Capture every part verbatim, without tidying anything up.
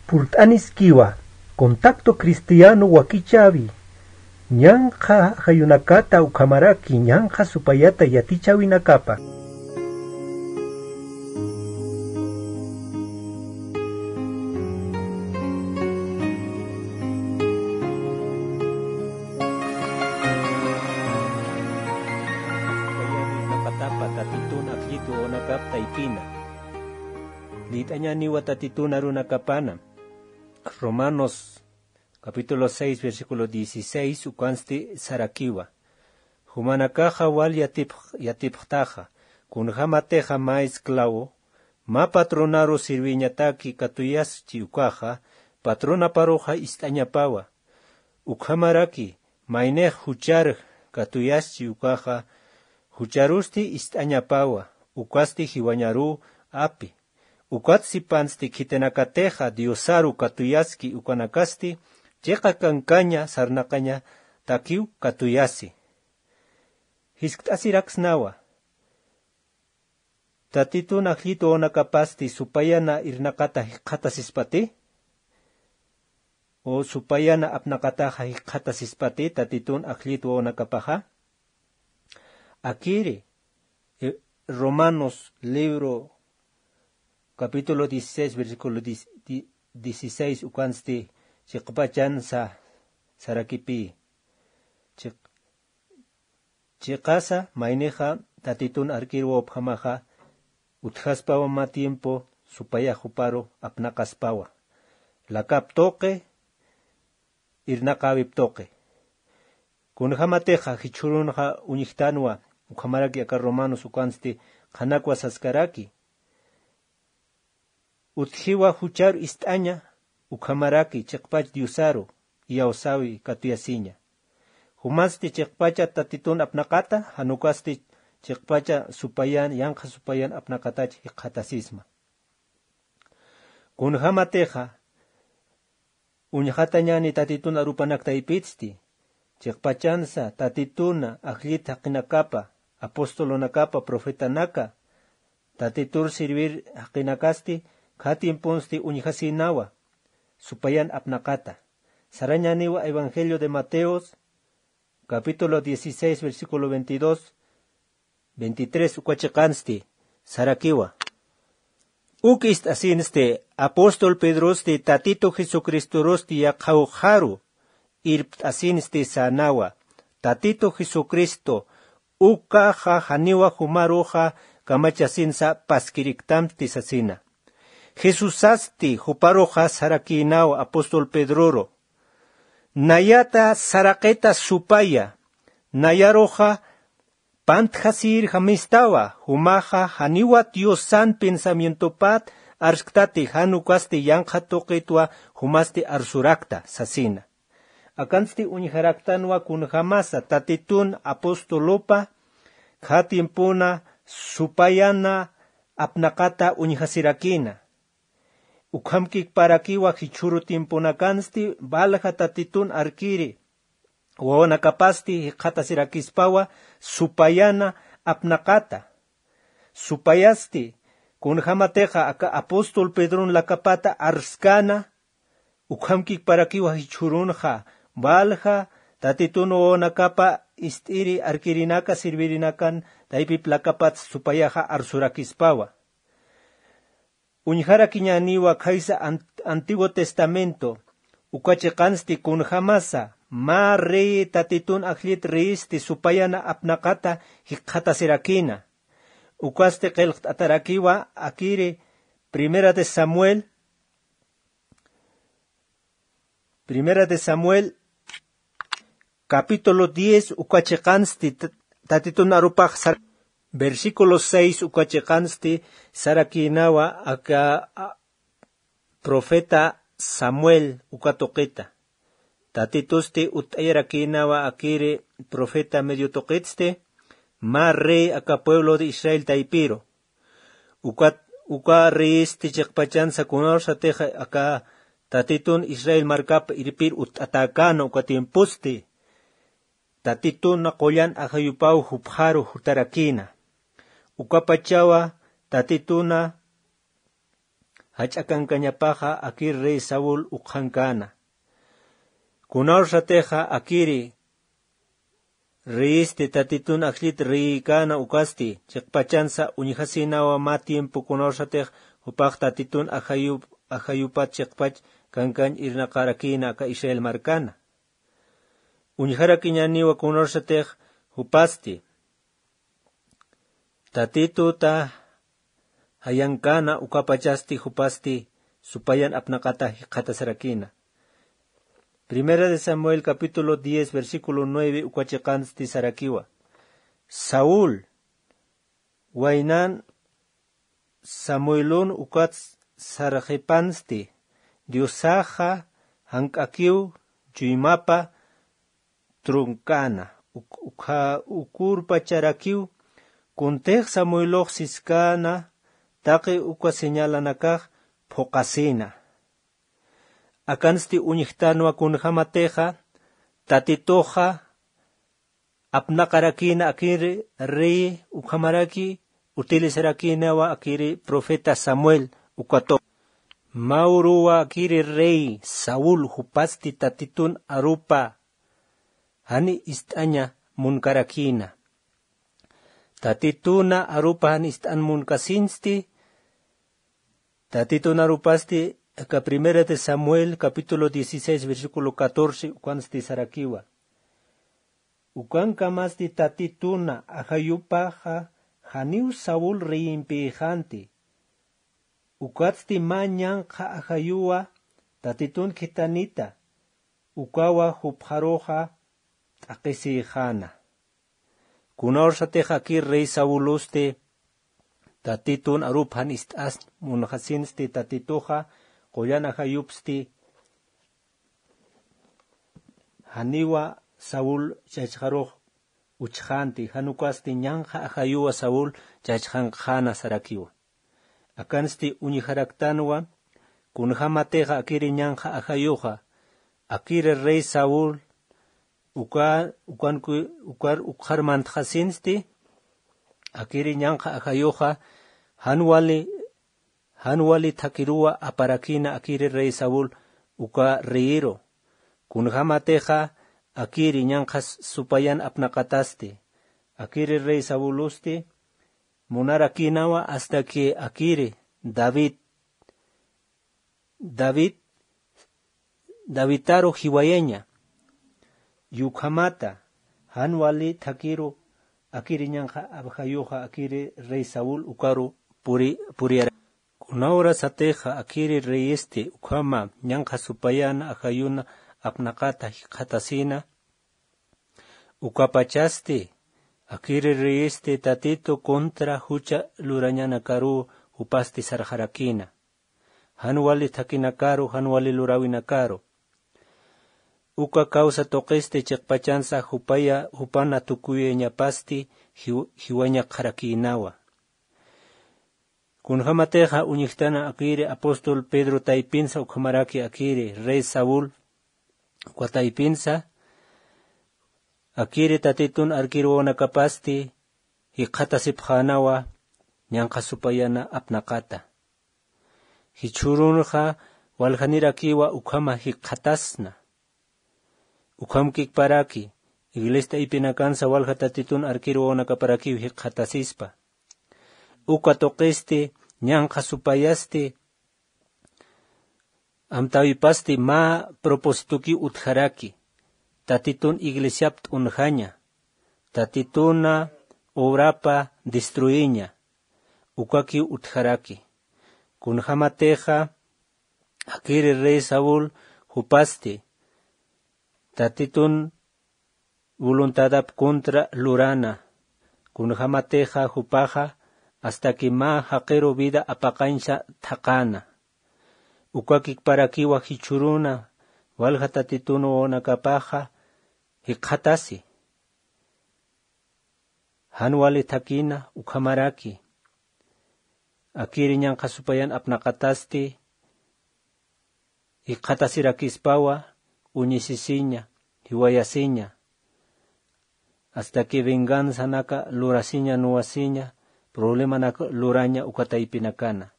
Purt'aniskiwa, Contacto Cristiano wakichäwi, ñanqha jayunakata ukhamaraki ñanqha supayata yatichäwinakapa. Tatitun ajllit wawanakap taypina. Lït'añäniwa Tatitun arunakapana. Romanos capítulo seis, versículo dieciséis, ukansti sarakiwa. Jumanakaxa wal yatipx-, yatipxtaxa, kunjämatixa mä esclavo, mä patronaru sirviñataki katuyaschi ukaxa, patronaparuxa ist'añapawa. Ukhamaraki, maynix juchar katuyaschi ukaxa, jucharusti ist'añapawa, ukasti jiwañaruw api. Ukat sipansti khitinakatixa Diosaru katuyaski ukanakasti, chiqa kankaña sarnaqañatakiw katuyasi. Jiskt'asiraksnawa. Tatitun ajllit wawanakapasti supayana irnaqata jikxatasispati? O supayana apnaqataxa jikxatasispati Tatitun ajllit wawanakapaxa? Akiri, eh, Romanos libro capítulo dieciséis, versículo diez, di-, dieciséis, ukansti chiqpachansa sarakipï. Chiq-, chiqasa maynixa Tatitun arkir wawpjamaxa utjaspawa mä tiempo supayax juparu apnaqaspawa. Lakap tuqi, irnaqäwip tuqi. Kunjämatixa jichhürunxa uñjtanwa, ukhamaraki aka Romanos ukansti qhanakwa saskaraki. Utjiwa juchar ist'aña, ukhamaraki chiqpach Diosaru iyawsäwi katuyasiña. Jumasti chiqpacha Tatitun apnaqata, jan ukasti chiqpacha supayan, yanqha supayan apnaqatach jikxatasisma. Kunjämatixa, uñjatañäni Tatitun arupanak taypitsti, chiqpachansa Tatituna ajllit jaqinakapa, apostolunakapa, profetanaka, Tatitur servir jaqinakasti, kha tiemponsti uñjasïnawa, supayan apnaqata. Sarañäniwa Evangelio de Mateos, capítulo dieciséis, versículo veintidós, veintitrés, uka chiqansti sarakiwa. Uk ist'asinsti, apóstol Pedrosti Tatitu Jesucristorusti yaqha ukxaru irpt'asinsti sänawa. Tatitu Jesucristo ukaxa janiwa jumaruxa kamachasinsa paskiriktamti sasina. Jesusasti juparuxa sarakïnawa apóstol Pedroru. Nayata saraqita supaya, nayaruxa pantjasïrjamistawa, jumaxa janiwa Diosan pensamientopat arsktati, jan ukasti yanqha tuqitwa jumasti arsurakta sasina. Akansti uñjaraktanwa kunjämasa Tatitun apostolupa kha tiempona supayana apnaqata uñjasirakïna. Ukhamkikparakiwa jichhüru tiemponakansti, valja Tatitun arkiri wawanakapasti jikxatasirakispawa supayana apnaqata. Supayasti, kunjämatixa aka apóstol Pedron lakapata arskäna, ukhamkikparakiwa jichhürunxa, valja Tatitun wawanakapa ist'iri arkirinaka, servirinakan taypip lakapat supayaxa arsurakispawa. Uñjarakiñäniwa khaysa Ant-, Antiguo Testamento, uka chiqansti kunjämasa, mä rey Tatitun ajllit reyisti supayana apnaqata jikxatasirakïna. Ukasti qillqt'atarakiwa akiri Primera de Samuel, Primera de Samuel, capítulo diez, uka chiqansti t-, Tatitun arupax sar-, versículo seis, uka chiqansti sarakïnawa aka, a, profeta Samuel uka tuqita. Tatitusti utt'ayarakïnawa akiri profeta medio tuqitsti, mä rey aka pueblo de Israel taypiru. Uka, uka reyisti chiqpachansa kunarsatix aka Tatitun Israel markap irpir utt'atäkäna uka tiemposti, Tatituna qullan ajayupaw jupxaru jutarakïna. Ukapachawa Tatituna jach'a kankañapaxa akir rey Saúl ukxankana. Kunawsatixa akiri reyisti Tatitun ajllit reyikana ukasti chiqpachansa uñjasinawa mä tiempo kunawsatix jupax Tatitun ajayup ajayupat chiqpach kankañ irnaqarakina aka Israel markana. Uñjarakiñaniwa kunawsatix jupasti Tatituta jayankana ukapachasti jupasti supayan apnaqata jikxatasarakina. Primera de Samuel capítulo diez versículo nueve uka chiqansti sarakiwa. Saúl waynan Samuelun ukat sarxipansti Diosaxa jank'akiw chuymapa trunkana ukurpacharakiw. Kuntix Samuelux siskana taqi uka señalanakax phuqasina. Akansti uñjtanwa kunjämatixa Tatituxa apnaqarakïna akiri rey ukhamaraki utilizarakïnawa akiri profeta Samuel ukatu. Mä uruwa akiri rey Saúl jupasti Tatitun arupa jan ist'aña munkarakïna. Tatituna arupa jan ist'an munkasinsti. Tatitun arupasti aka Primera de Samuel capítulo dieciséis versículo catorce ukansti sarakiwa. Ukankamasti Tatituna ajayupaxa janiw Saúl reyimpïxanti. Ukatsti mä ñanqha ajayuwa Tatitun khitanita ukawa jupxaruxa t'aqhisïxäna. Kunawsatix akir rey Saulusti Tatitun arup jan ist'asn munxasinsti Tatituxa qullan ajayupsti janiwa Saúl chachxarux uchxänti jan ukasti ñanqha ajayuwa Saúl chachxankxäna sarakiwa. Akansti uñjaraktanwa kunjämatixa akiri ñanqha ajayuxa akiri rey Saúl uka ukanku ukar ukxar mantxasinsti akiri ñanqha ajayuxa jan wali jan wali thakiruwa aparakïna akiri rey Saúl uka reyiru. Kunjämatixa akiri ñanqha supayan apnaqatasti akiri rey Saulusti munarakïnawa hasta que akiri David David Davidtaru jiwayaña yukhamata jan wali thakiru akiri ñanqha ajayuxa akiri rey Saúl ukaru puri puriyara. Kunawrasatixa akiri reyisti ukhama ñanqha supayan ajayuna apnaqata jikxatasïna. Ukapachasti akiri reyisti Tatitu contra jucha lurañanakaru jupasti sarxarakïna. Jan wali thakinakaru jan wali luräwinakaru uka causa tuqisti chiqpachansa jupaya jupana tukuyañapasti jiw- jiwañaqxarakïnawa. Kunjämatixa uñjtana akiri apóstol Pedro taypinsa ukhamaraki akiri rey Saúl uka taypinsa akiri Tatitun arkiruwanakapasti jikxatasipxänawa ñanqha supayana apnaqata. Jichhürunxa waljanirakiwa ukhama jikxatasna. Ukhamkikparaki iglesia taypinakansa walja Tatitun arkiruwanakaparakiw jikxatasispa. Uka tuqisti ñanqha supayasti amtäwipasti mä propósitokiw utjaraki. Tatitun iglesiap t'unjaña Tatituna obrapa destruiña ukakiw utjaraki. Kunjämatixa akiri rey Saúl jupasti Tatitun voluntadap contra lurana. Kunjämatixa jupaxa hasta que mä jaqiru vida apaqañsa thaqäna. Ukakikparakiwa jichhüruna walja Tatitun wawanakapaxa jikxatasi. Jan wali thakina ukhamaraki akiri ñanqha supayan apnaqatasti jikxatasirakispawa uñisisiña jiwayasiña hasta que venganzanaka lurasiña nuwasiña problemanaka luraña uka taypinakana.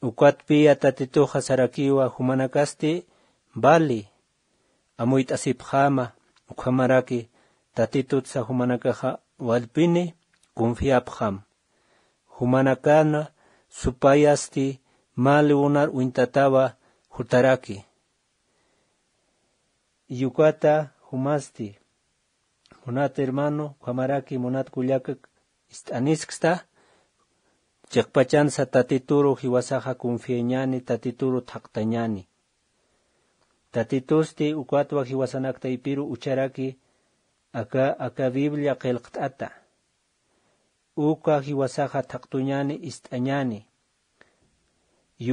Ukatpiya Tatituxa sarakiwa jumanakasti vali amuyt'asipxäma, ukhamaraki Tatitutsa jumanakaxa wallpini confiapxam. Jumanakana supayasti mä lunar uñtatawa jutaraki. Yukata jumasti, munat hermano, ukhamaraki munat kullaka ist'anisksta, chiqpachansa Tatituru jiwasaxa confiañäni, Tatituru thaqtañäni. Tatitusti ukatwa jiwasanak taypiru ucharaki aka, aka Biblia qillqt'ata. Uka jiwasaxa thaqtuñäni, ist'añäni.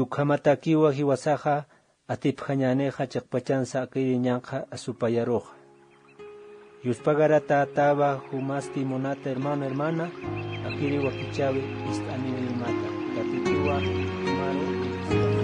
Ukhamatakiwa jiwasaxa atipjañänixa chiqpachansa akiri ñanqha asupayaruxa. Yuspagaratätawa jumasti munat hermano, hermana, akiri wakichäwi ist'aniwimata. Tatituwa jumaru